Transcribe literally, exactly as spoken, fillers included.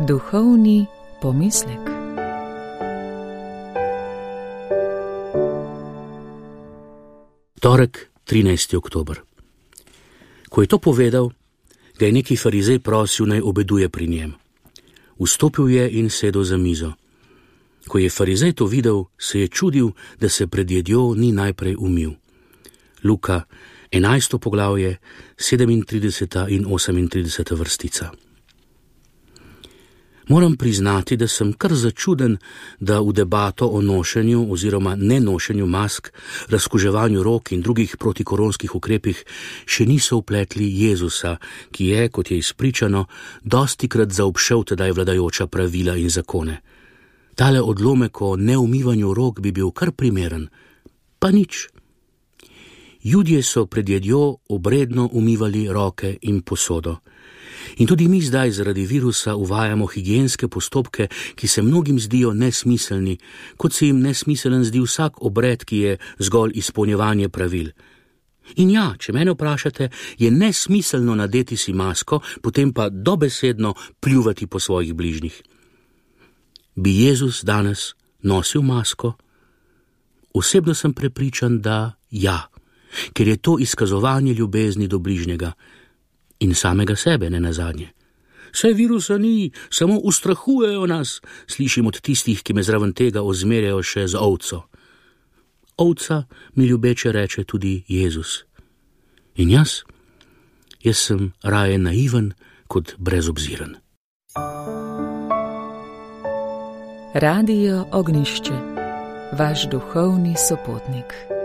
Duhovni pomislek. Torek, trinajsti oktober. Ko je to povedal, ga je neki farizej prosil, naj obeduje pri njem. Vstopil je in sedel za mizo. Ko je farizej to videl, se je čudil, da se pred jedjo ni najprej umil. Luka, enajsto poglavje, sedemintrideseta in osemintrideseta vrstica. Moram priznati, da sem kar začuden, da v debato o nošenju oziroma nenošenju mask, razkuževanju rok in drugih protikoronskih ukrepih še niso vpletli Jezusa, ki je, kot je izpričano, dostikrat zaobšel tedaj vladajoča pravila in zakone. Tale odlomek o neumivanju rok bi bil kar primeren, pa nič. Judje so pred jedjo obredno umivali roke in posodo. In tudi mi zdaj zaradi virusa uvajamo higienske postopke, ki se mnogim zdijo nesmiselni, kot se jim nesmiselen zdi vsak obred, ki je zgolj izpolnjevanje pravil. In ja, če mene vprašate, je nesmiselno nadeti si masko, potem pa dobesedno pljuvati po svojih bližnjih. Bi Jezus danes nosil masko? Osebno sem prepričan, da ja, ker je to izkazovanje ljubezni do bližnjega. In samega sebe, ne nazadnje. Saj virusa ni, samo ustrahujejo nas, slišim od tistih, ki me zraven tega ozmerjajo še z ovco. Ovca mi ljubeče reče tudi Jezus. In jaz? Jaz sem raje naiven kot brezobziren. Radio Ognjišče, vaš duhovni sopotnik.